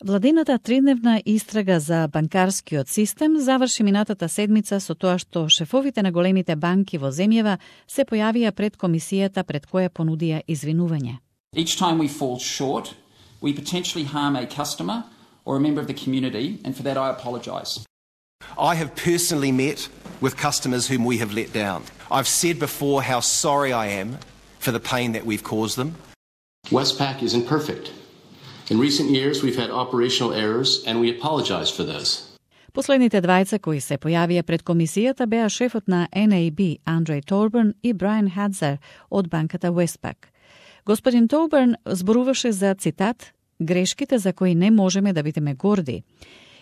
Владината тридневна истрага за банкарскиот систем заврши минатата седмица со тоа што шефовите на големите банки во земјава се појавија пред комисијата пред која понудија извинување. Each time we fall short, we potentially harm a customer or a member of the community, and for that I apologise. I have personally met with customers whom we have let down. I've said before how sorry I am for the pain that we've caused them. Westpac isn't perfect. In recent years, we've had operational errors, and we apologize for those. Последните двајца кои се појавија пред комисијата беа шефот на NAB Андрей Торбърн и Брайан Хадзер од банката Westpac. Господин Торбърн зборуваше за, цитат, грешките за кои не можеме да бидеме горди.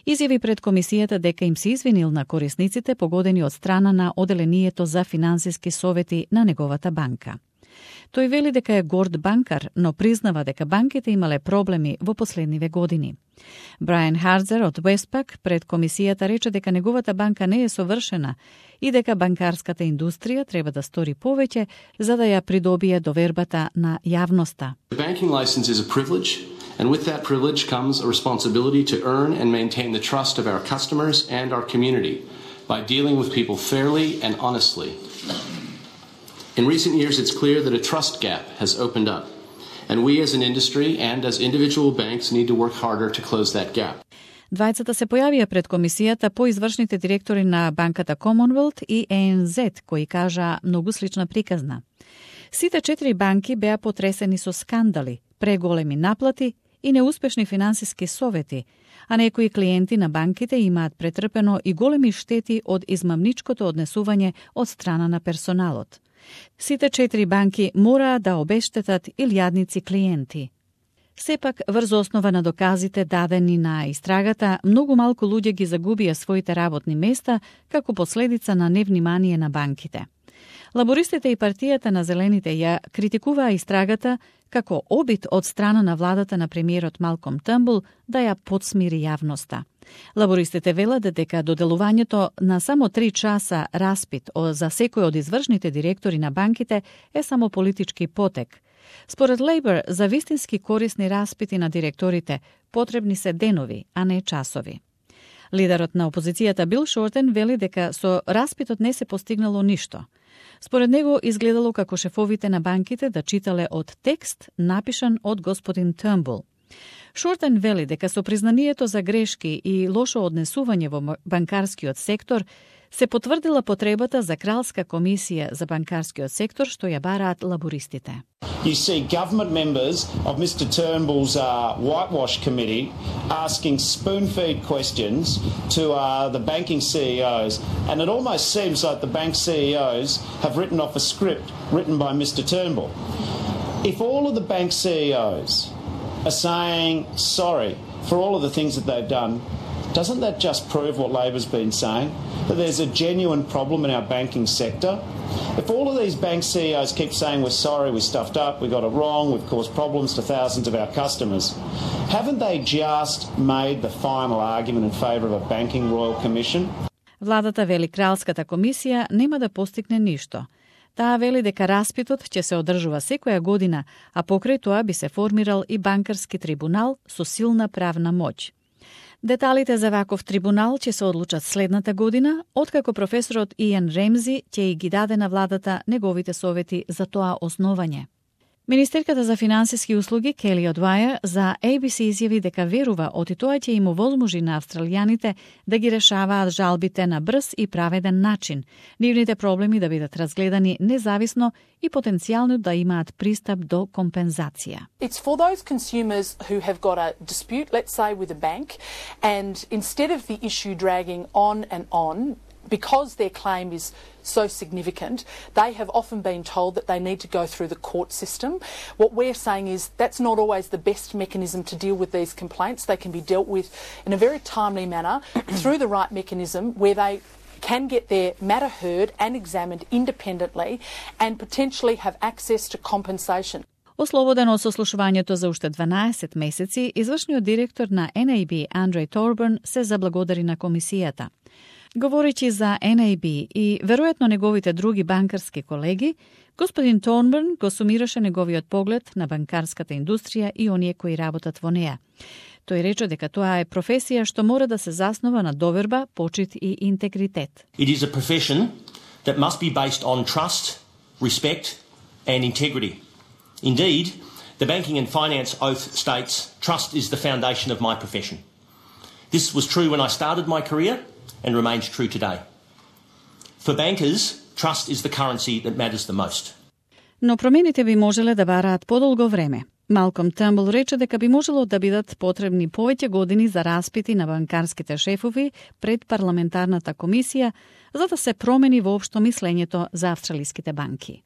Изјави пред комисијата дека им се извинил на корисниците погодени од страна на Оделението за финансиски совети на неговата банка. Тој вели дека е горд банкар, но признава дека банките имале проблеми во последниве години. Брайан Хадзер од Westpac пред комисијата рече дека неговата банка не е совршена и дека банкарската индустрија треба да стори повеќе за да ја придобие довербата на јавноста. The banking license is a privilege, and with that privilege comes a responsibility to earn and maintain the trust of our customers and our community by dealing with people fairly and honestly. In recent years, it's clear that a trust gap has opened up, and we as an industry and as individual banks need to work harder to close that gap. Двајцата се појавија пред комисијата по извршните директори на банката Commonwealth и ANZ, кои кажа многу слична приказна. Сите 4 банки беа потресени со скандали, преголеми наплати и неуспешни финансиски совети, а некои клиенти на банките имаат претрпено и големи штети од измамничкото однесување од страна на персоналот. Сите 4 банки мораа да обештетат илјадници клиенти. Сепак, врз основа на доказите дадени на истрагата, многу малку луѓе ги загубија своите работни места како последица на невнимание на банките. Лабористите и партијата на Зелените ја критикуваа истрагата како обид од страна на владата на премиерот Малком Търнбул да ја подсмири јавноста. Лабористите велат дека доделувањето на само 3 часа распит за секој од извршните директори на банките е само политички потек. Според Лейбор, за вистински корисни распити на директорите потребни се денови, а не часови. Лидерот на опозицијата Бил Шортен вели дека со распитот не се постигнало ништо. Според него изгледало како шефовите на банките да читале од текст напишан од господин Търнбул. Шортен вели дека со признанието за грешки и лошо однесување во банкарскиот сектор се потврдила потребата за кралска комисија за банкарскиот сектор што ја бараат лабористите. You see government members of Mr. Turnbull's whitewash committee asking spoon-feed questions to the banking CEOs, and it almost seems like the bank CEOs have written off a script written by Mr. Turnbull. If all of the bank CEOs are saying sorry for all of the things that they've done, doesn't that just prove what Labor's been saying? That there's a genuine problem in our banking sector? If all of these bank CEOs keep saying we're sorry, we stuffed up, we got it wrong, we've caused problems to thousands of our customers, haven't they just made the final argument in favour of a banking royal commission? Владата вели кралската комисија нема да постигне ништо. Таа вели дека распитот ќе се одржува секоја година, а покрај тоа би се формирал и банкарски трибунал со силна правна моќ. Деталите за ваков трибунал ќе се одлучат следната година, откако професорот Иан Ремзи ќе ги даде на владата неговите совети за тоа основање. Министерката за финансиски услуги Кели Одвајер за ABC изјави дека верува оти тоа ќе им овозможи на австралијаните да ги решаваат жалбите на брз и праведен начин, нивните проблеми да бидат разгледани независно и потенцијално да имаат пристап до компензација. It's for those consumers who have got a dispute, let's say with a bank, and instead of the issue dragging on and on, because their claim is so significant, they have often been told that they need to go through the court system. What we're saying is that's not always the best mechanism to deal with these complaints. They can be dealt with in a very timely manner through the right mechanism where they can get their matter heard and examined independently and potentially have access to compensation. Ослободен од сослушувањето за уште 12 месеци, извршниот директор на NAB Андрей Торбърн се заблагодари на комисијата. Говорејќи за NAB и веројатно неговите други банкарски колеги, господин Торбърн го сумираше неговиот поглед на банкарската индустрија и оние кои работат во неа. Тој рече дека тоа е професија што мора да се заснова на доверба, почит и интегритет. It is a profession that must be based on trust, respect and integrity. Indeed, the Banking and Finance Oath states, trust is the foundation of my profession. This was true when I started my career and remains true today. For bankers, trust is the currency that matters the most. Но промените би можеле да бараат подолго време. Малком Търнбул рече дека би можело да бидат потребни повеќе години за распити на банкарските шефови пред парламентарната комисија за да се промени воопшто мислењето за австралиските банки.